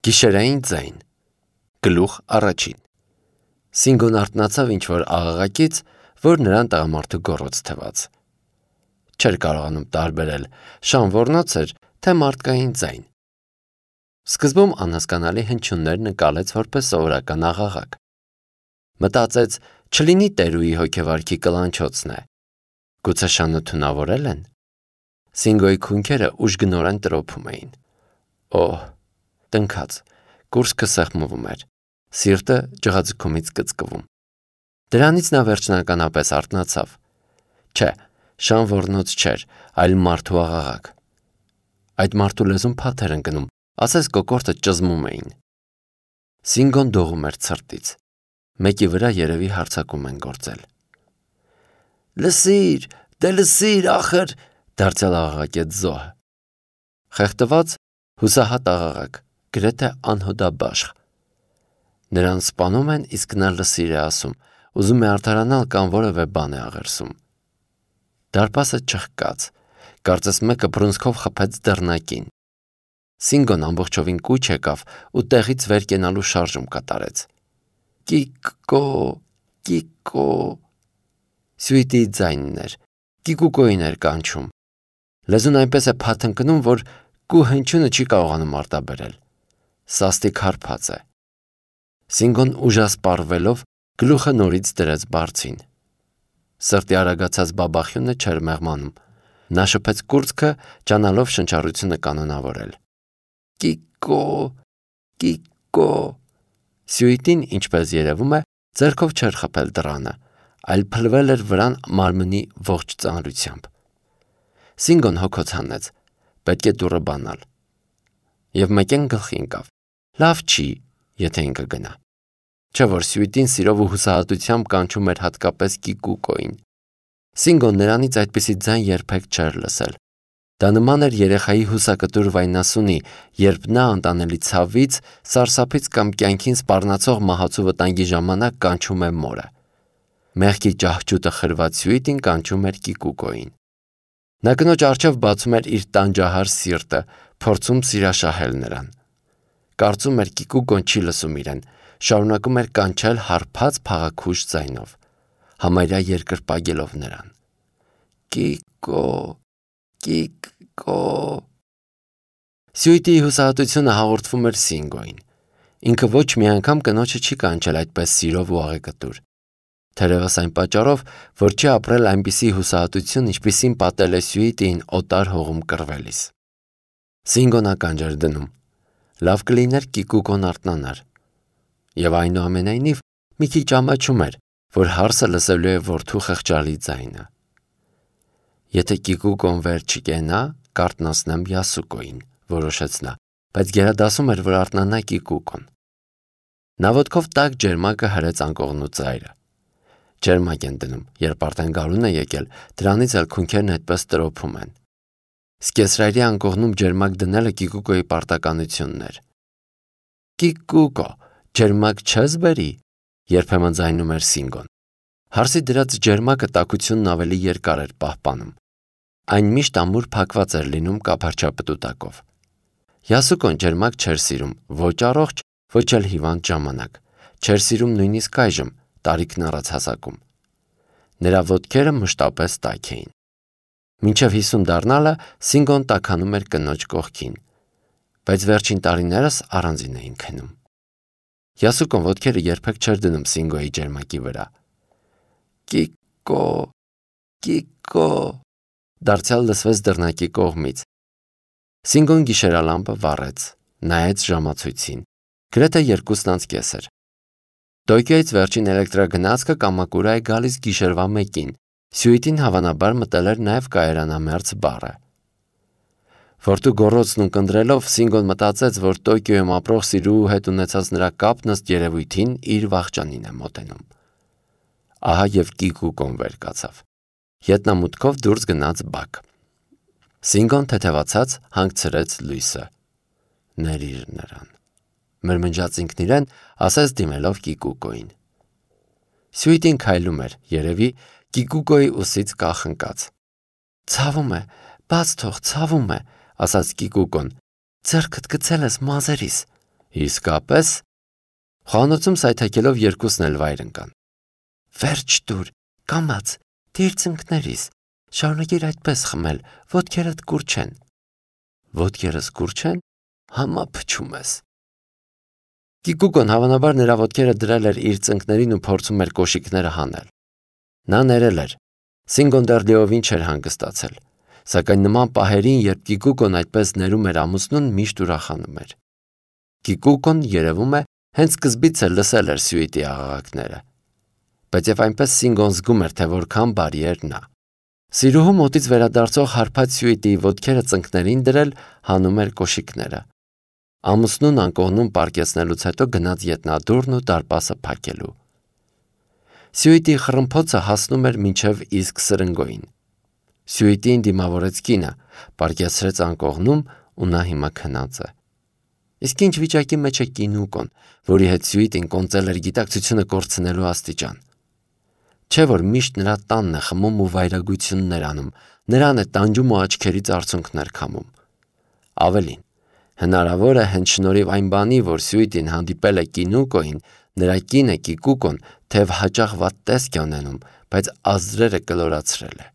Գիշերային ձայն Գլուխ առաջին Սինգոն արթնացավ ինչ-որ աղաղակից, որ նրան տղամարդու գոռոց թվաց. Չէր կարողանում տարբերել շան ոռնոց էր, թե մարդկային ձայն։ Սկզբում անհասկանալի հնչյուններ նկալեց որպես սովորական աղաղակ։ Մտածեց, չլինի տերուի հոգեվարքի կլանչոցն է։ Գուցե շանը թունավորել են։ Սինգոյի քունքերը ուժգնորեն տրոփում էին։ Օհ, տնքաց, կուրծքը սեղմվում էր, սիրտը ջղաձգումից կծկվում։ Դրանից նա վերջնականապես արթնացավ։ Չէ, շան ոռնոց չէր, այլ մարդու աղաղակ։ Այդ մարդու լեզուն փաթ էր ընկնում, ասես կոկորդը ճզմում էին։ Սինգոն դողում էր ցրտից։ Մեկի վրա երևի հարձակում են գործել։ Լսիր, դե լսիր, ախր, դարձյալ աղաղակեց զոհը։ Խեղդված, հուսահատ աղաղակ, գրեթե անհոդաբաշխ։ Նրան սպանում են, իսկ նա լսիր է ասում, ուզում է արդարանալ կամ որևէ բան է աղերսում։ Դարպասը չխկաց, կարծես մեկը բռունցքով խփեց դռնակին։ Սինգոն ամբողջովին կուչ եկավ ու տեղից վեր կենալու շարժում կատարեց։ Կիկո, կիկո։ Սյուիտի ձայնն էր, կիկուկոին էր կանչում։ Լեզուն այնպես է փաթ ընկնում, որ կու հնչյունը չի կարողանում արտաբերել։ Սաստիկ հարբած է։ Սինգոն ուժասպառվելով գլուխը նորից դրեց բարձին։ Սրտի արագացած բաբախյունը չէր մեղմանում։ Նա շփեց կուրծքը, ջանալով շնչառությունը կանոնավորել։ Կիկո, կիկո։ Սյուիտին, ինչպես երևում է, ձեռքով չէր խփել դռանը, այլ փլվել էր վրան մարմնի ողջ ծանրությամբ։ Սինգոն հոգոց հանեց, պետք է դուռը բանալ։ Եվ մեկեն գլխի ընկավ. լավ չի, եթե ինքը գնա։ Չէ որ սյուիտին սիրով ու հուսահատությամբ կանչում էր հատկապես կիկուկոին։ Սինգոն նրանից այդպիսի ձայն երբեք չէր լսել։ Դա նման էր երեխայի հուսակտուր վայնասունի, երբ նա անտանելի ցավից, սարսափից կամ կյանքին սպառնացող մահացու վտանգի ժամանակ կանչում է մորը։ Մեղքի ճահճուտը խրված սյուիտին կանչում էր կիկուկոին։ Նա կնոջ առջև բացում էր իր տանջահար սիրտը, փորձում սիրաշահել նրան։ Կարծում էր կիկուկոն չի լսում իրեն, շարունակում էր կանչել հարբած փաղաքուշ ձայնով, համարյա երկրպագելով նրան։ Կիկո, կիկո։ Սյուիտի հուսահատությունը հաղորդվում էր Սինգոյին։ Ինքը ոչ մի անգամ կնոջը չի կանչել այդպես սիրով ու աղեկտուր։ Թերևս այն պատճառով, որ չի ապրել այնպիսի հուսահատություն, ինչպիսին պատել է սյուիտին օտար հողում կռվելիս։ Սինգոն ականջ էր դնում։ Լավ կլիներ կիկուկոն արթնանար։ Եվ այնուամենայնիվ մի քիչ ամաչում էր, որ հարսը լսելու է որդու խղճալի ձայնը։ Եթե կիկուկոն վեր չկենա, կարթնացնեմ Յասուկոին, որոշեց նա, բայց գերադասում էր, որ արթնանա կիկուկոն։ Նա ոտքով տաք ջերմակը հրեց անկողնու ծայրը։ Ջերմակ են դնում, երբ արդեն գարուն է եկել, դրանից էլ քունքերն այդպես տրոփում են։ Սկեսրայրի անկողնում ջերմակ դնելը կիկուկոյի պարտականությունն էր։ Կիկուկո, ջերմակ չես բերի, երբեմն ձայնում էր Սինգոն։ Հարսի դրած ջերմակը տաքությունն ավելի երկար էր պահպանում։ Այն միշտ ամուր փակված էր լինում կափարչապտուտակով։ Յասուկոն ջերմակ չէր սիրում, ոչ առողջ, ոչ էլ հիվանդ ժամանակ։ Չէր սիրում նույնիսկ այժմ, տարիքն առած հասակում։ Նրա ոտքերը մշտապես տաք էին։ Մինչև 50 դառնալը Սինգոն տաքանում էր կնոջ կողքին, բայց վերջին տարիներս առանձին էին քնում։ Յասուկոն ոտքերը երբեք չէր դնում Սինգոյի ջերմակի վրա։ Կիկո, կիկո, դարձյալ լսվեց դռնակի կողմից։ Սինգոն գիշերալամպը վառեց, նայեց ժամացույցին, գրեթե 2:30 էր։ Տոկիոյից վերջին էլեկտրագնացքը Կամակուրա է գալիս գիշերվա 1-ին, սյուիտին հավանաբար մտել էր նաև կայարանամերձ բառը։ Որդու գոռոցն ունկնդրելով Սինգոն մտածեց, որ Տոկիոյում ապրող սիրուհու հետ ունեցած նրա կապն ըստ երևույթին իր վախճանին է մոտենում։ Ահա և կիկուկոն վեր կացավ։ Ետնամուտքով դուրս գնաց բակ։ Սինգոն թեթևացած հանգցրեց լույսը։ Ներիր նրան, մրմնջաց ինքն իրեն, ասես դիմելով կիկուկոին։ Սյուիտին քայլում էր, երևի կիկուկոյի ուսից կախնկած։ Ցավում է, բաց թող, ցավում է, ասաց կիկուկոն։ Ձեռքդ գցել ես մազերիս։ Իսկապես։ Խոհանոցում սայթաքելով երկուսն էլ վայր ընկան։ Վերջ դուր, կամաց, դիր ծնկներիս, շարունակիր այդպես խմել, ոտքերդ կուր չեն։ Ոտքերս կուր չեն, համա փչում ես։ Կիկուկոն հավանաբար նրա ոտքերը դրել էր իր ծնկներին ու փորձում էր կոշիկները հանել։ Նա ներել էր։ Սինգոն դեռ լիովին չէր հանգստացել, սակայն նման պահերին, երբ Կիկուկոն այդպես ներում էր ամուսնուն, միշտ ուրախանում էր։ Կիկուկոն, երևում է, հենց սկզբից էլ լսել էր Սյուիտի աղաղակները։ Բայց եւ այնպես Սինգոն զգում էր, թե որքան բարի էր նա։ Սիրուհու մոտից վերադարձող հարբած Սյուիտի ոտքերը ծնկներին դրել հանում էր կոշիկները։ Ամուսնուն անկողնում պարկեցնելուց հետո գնաց ետնադուռն ու դարպասը փակելու։ Սյուիտի խռմփոցը հասնում էր մինչև իսկ սրնգոյին։ Սյուիտին դիմավորեց կինը, պարկեցրեց անկողնում ու նա հիմա քնած է։ Իսկ ինչ վիճակի մեջ է Կինուկոն, որի հետ Սյուիտին կոնծել էր գիտակցությունը կորցնելու աստիճան։ Չէ՞ որ միշտ նրա տանն է խմում ու վայրագություններ անում, նրան է տանջում ու աչքերից արցունքներ քամում։ Ավելին, հնարավոր է հենց շնորհիվ այն բանի, որ Սյուիտին հանդիպել է Կինուկոին, նրա կինը Կիկուկոն թեև հաճախ վատ տեսք է ունենում, բայց ազդրերը կլորացրել է։